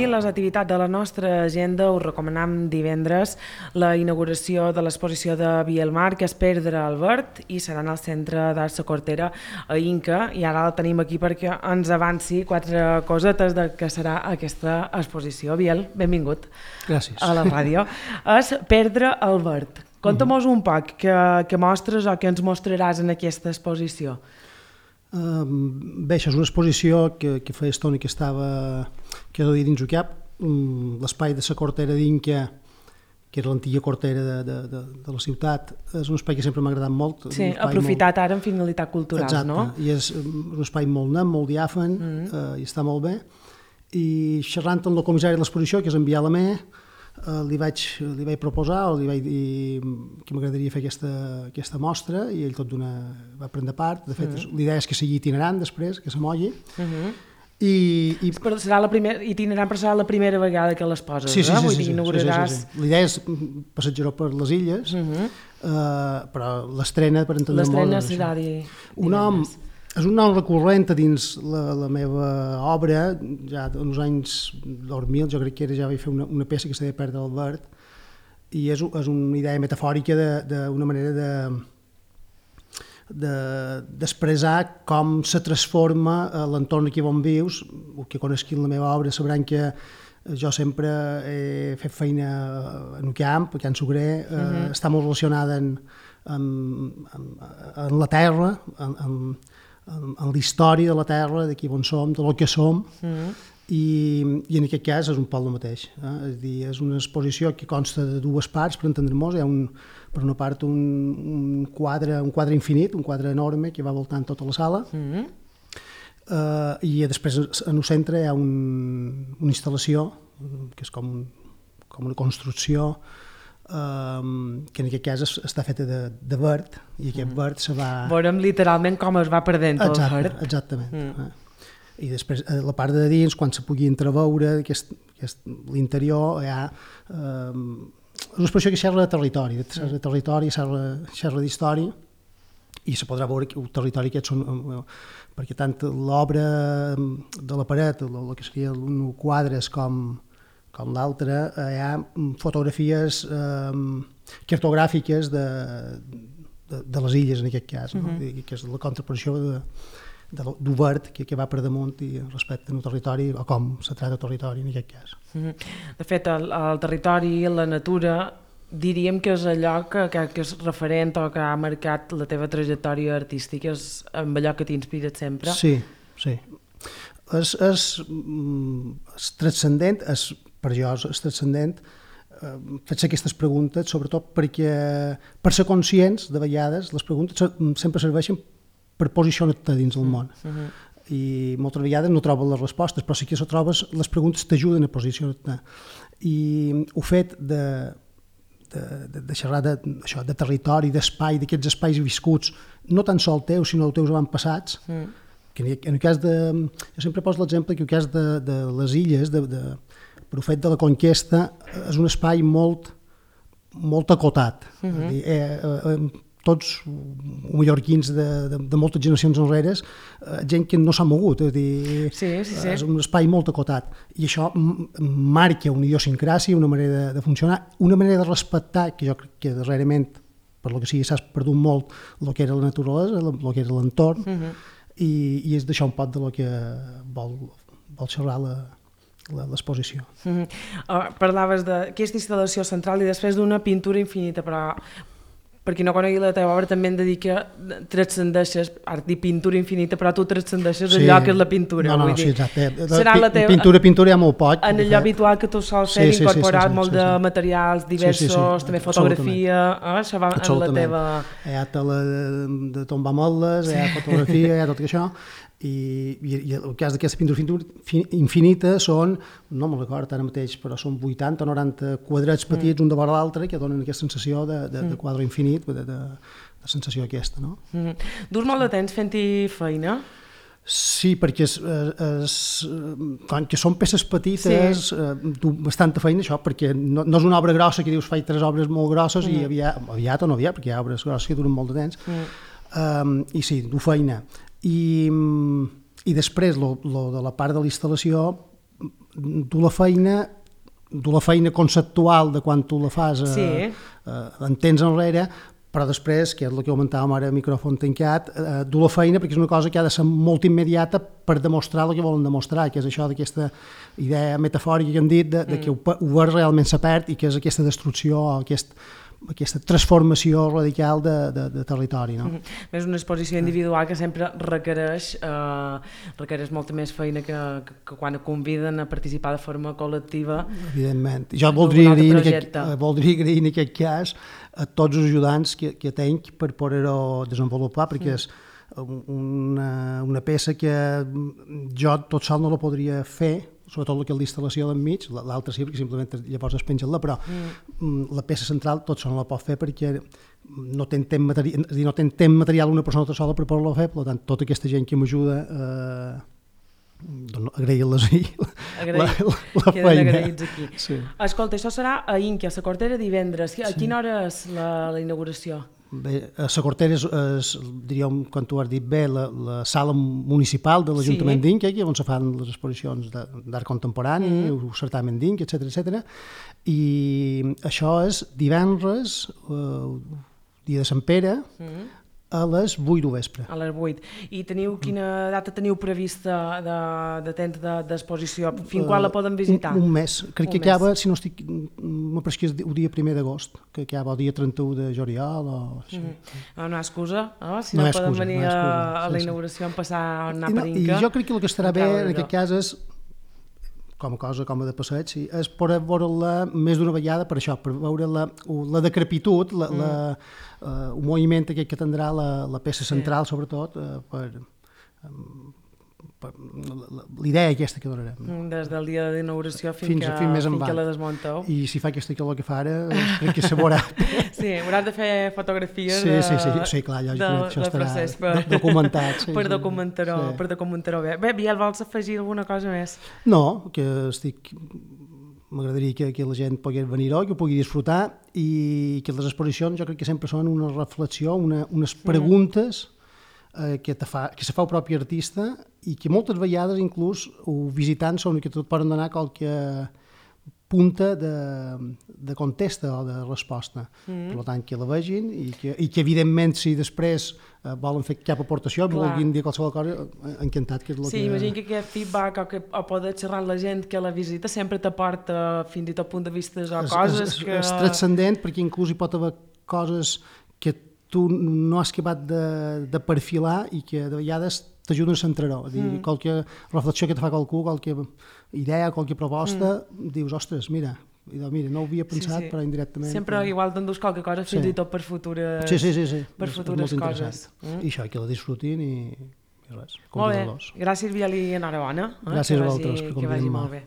resumir les activitats de la nostra agenda, us recomanam divendres la inauguració de l'exposició de Bielmar, que és Perdre Albert, i serà en el Centre d'Art La Cortera a Inca, i ara la tenim aquí perquè ens avanci 4 cosetes de què serà aquesta exposició. Biel, benvingut. Gràcies. A la ràdio. És Perdre Albert. Conta'm-nos un poc què mostres o què ens mostraràs en aquesta exposició. Bé, això és una exposició que feia estona que era dins el cap. L'espai de la Cortera d'Inca, que era l'antiga cortera de la ciutat, és un espai que sempre m'ha agradat molt. Sí, aprofitat ara en finalitat cultural, no? Exacte, i és un espai molt net, molt diàfan, i està molt bé. I xerrant amb el comissari de l'exposició, que és en Bialamé, li vaig proposar, o li vaig dir que m'agradaria fer aquesta mostra, i ell tot va prendre part. De fet, l'idea és que sigui itinerant després, que s'amolli. Però serà itinerant, però serà la primera vegada que les poses, sí. Vull dir, inauguraràs... L'idea és passejar per les illes, però l'estrena, per entendre molt... L'estrena serà divendres. És un nom recurrent a dins la meva obra, ja en els anys 2000, jo crec que ja vaig fer una peça que s'ha de Perdre Albert, i és una idea metafòrica d'una manera d'expressar com se transforma l'entorn aquí on vius. El que conegui en la meva obra sabran que jo sempre he fet feina en el camp, a Can Sucrer, està molt relacionada amb la terra, en la història de la terra, d'aquí on som, de lo que som, i en aquest cas és un poc el mateix. És a dir, és una exposició que consta de 2 parts, per entendre-nos. Hi ha per una part un quadre infinit, un quadre enorme que va voltant tota la sala, i després en el centre hi ha una instal·lació que és com una construcció que en aquest cas està feta de verd, i aquest verd se va... Veurem literalment com es va perdent el verd. Exactament. I després, a la part de dins, quan se pugui entreveure l'interior, hi ha una expressió que xerra de territori, xerra d'història, i se podrà veure el territori aquest són... perquè tant l'obra de la paret, el que serien quadres com l'altre, hi ha fotografies cartogràfiques de les illes, en aquest cas, que és la contraposició del verd que va per damunt i respecte al territori, o com se tracta el territori en aquest cas. De fet, el territori i la natura diríem que és allò que és referent o que ha marcat la teva trajectòria artística, és amb allò que t'inspira sempre. Sí. És transcendent, per jo és transcendent, fer aquestes preguntes, sobretot perquè, per ser conscients, de vegades, les preguntes sempre serveixen per posicionar-te dins del món. I moltes vegades no trobes les respostes, però sí que trobes, les preguntes t'ajuden a posicionar-te. I el fet de xerrar de territori, d'espai, d'aquests espais viscuts, no tan sol teus, sinó teus avantpassats, que en el cas de... Jo sempre poso l'exemple que en el cas de les illes, per el fet de la conquesta, és un espai molt acotat. Tots mallorquins de moltes generacions enrere, gent que no s'ha mogut, és un espai molt acotat. I això marca una idiosincràsia, una manera de funcionar, una manera de respectar, que jo crec que darrerament, per lo que sigui, s'ha perdut molt el que era la naturalesa, el que era l'entorn, i és d'això un poc de lo que vol xerrar l'exposició. Parlaves d'aquesta instal·lació central i després d'una pintura infinita, però per qui no conegui la teva obra també em dedica, transcendeixes, ara dic pintura infinita, però tu transcendeixes allò que és la pintura. Sí, exacte. Pintura hi ha molt poc. En allò habitual que tu sols fer, incorporar molt de materials diversos, també fotografia, això va en la teva... Hi ha tela de tombar motlles, hi ha fotografia, hi ha tot això, i el cas d'aquesta pintura infinita són, no me'n record ara mateix, però són 80 o 90 quadrats petits un davant l'altre que donen aquesta sensació de quadre infinit, de sensació aquesta, no? Durs molt de temps fent-hi feina? Sí, perquè que són peces petites, bastanta feina això, perquè no és una obra grossa que dius faig 3 obres molt grosses i aviat o no aviat, perquè hi ha obres grosses que duren molt de temps, i sí, du feina. I després, lo de la part de la instal·lació, dur la feina conceptual de quan tu la fas en temps enrere, però després, que és el que comentàvem ara a micròfon tancat, dur la feina perquè és una cosa que ha de ser molt immediata per demostrar el que volen demostrar, que és això d'aquesta idea metafòrica que hem dit, de que ho veus realment se perd i que és aquesta destrucció, aquesta transformació radical de territori. No? És una exposició individual que sempre requereix molta més feina que quan conviden a participar de forma col·lectiva. Evidentment. Jo voldria agrair en aquest cas a tots els ajudants que tenc per poder-ho desenvolupar, perquè és una peça que jo tot sol no la podria fer, sobretot el que és l'instal·lació d'enmig, l'altra sí, perquè simplement llavors es penja-la, però la peça central tot sol no la pot fer perquè no té temps material una persona tota sola per poder-la fer, per tant, tota aquesta gent que m'ajuda, agrair-les la feina. Agraïts aquí. Sí. Escolta, això serà a Inca, a la Cortera, divendres. A quina hora és la inauguració? Bé, a la Cortera és, diríem, quan tu has dit bé, la sala municipal de l'Ajuntament d'Inca, on se fan les exposicions d'art contemporani, el certamen d'Inca, etc. I això és divendres, dia de Sant Pere, a les 8 del vespre. A les 8. I quina data teniu prevista de temps d'exposició? Fins quan la poden visitar? Un mes. Crec que acaba, si no estic... M'apareix que és el dia 1 d'agost, que acaba el dia 31 de juliol o... No hi ha excusa, si no poden venir a la inauguració en passar a anar per Inca. I jo crec que el que estarà bé en aquest cas és, com a cosa, com a de passeig, sí, és poder veure-la més d'una vegada per això, per veure la decrepitud, el moviment aquest que tindrà la peça central, sobretot, per l'idea aquesta que donarem. Des del dia d'inauguració fins que la desmunteu. I si fa aquesta calor que fa ara, crec que se veurà. Sí, hauràs de fer fotografies sí, clar, lògicament, això estarà documentat. Per documentar-ho bé. Bé, Biel, vols afegir alguna cosa més? No, que m'agradaria que la gent pogués venir-ho, que ho pugui disfrutar i que les exposicions jo crec que sempre són una reflexió, unes preguntes que se fa el propi artista i que moltes vegades inclús visitant són que tot poden donar qualque punta de contesta o de resposta. Per tant, que la vegin i que evidentment si després volen fer cap aportació, vulguin dir qualsevol cosa, encantat. Que és sí, imagina que aquest feedback o poder xerrar amb la gent que la visita sempre t'aporta fins i tot punt de vista o coses que... És transcendent perquè inclús hi pot haver coses que tu no has acabat de perfilar i que de vegades t'ajuden a centrar-ho. Qualque reflexió que te fa qualcú, qualque idea, qualque proposta, dius, ostres, mira, no ho havia pensat, però indirectament... Sempre igual t'endús qualque cosa fins i tot per futures coses. I això, que la disfrutin i res. Molt bé, gràcies Biel i enhorabona. Gràcies a vosaltres per convidar-me. Que vagi molt bé.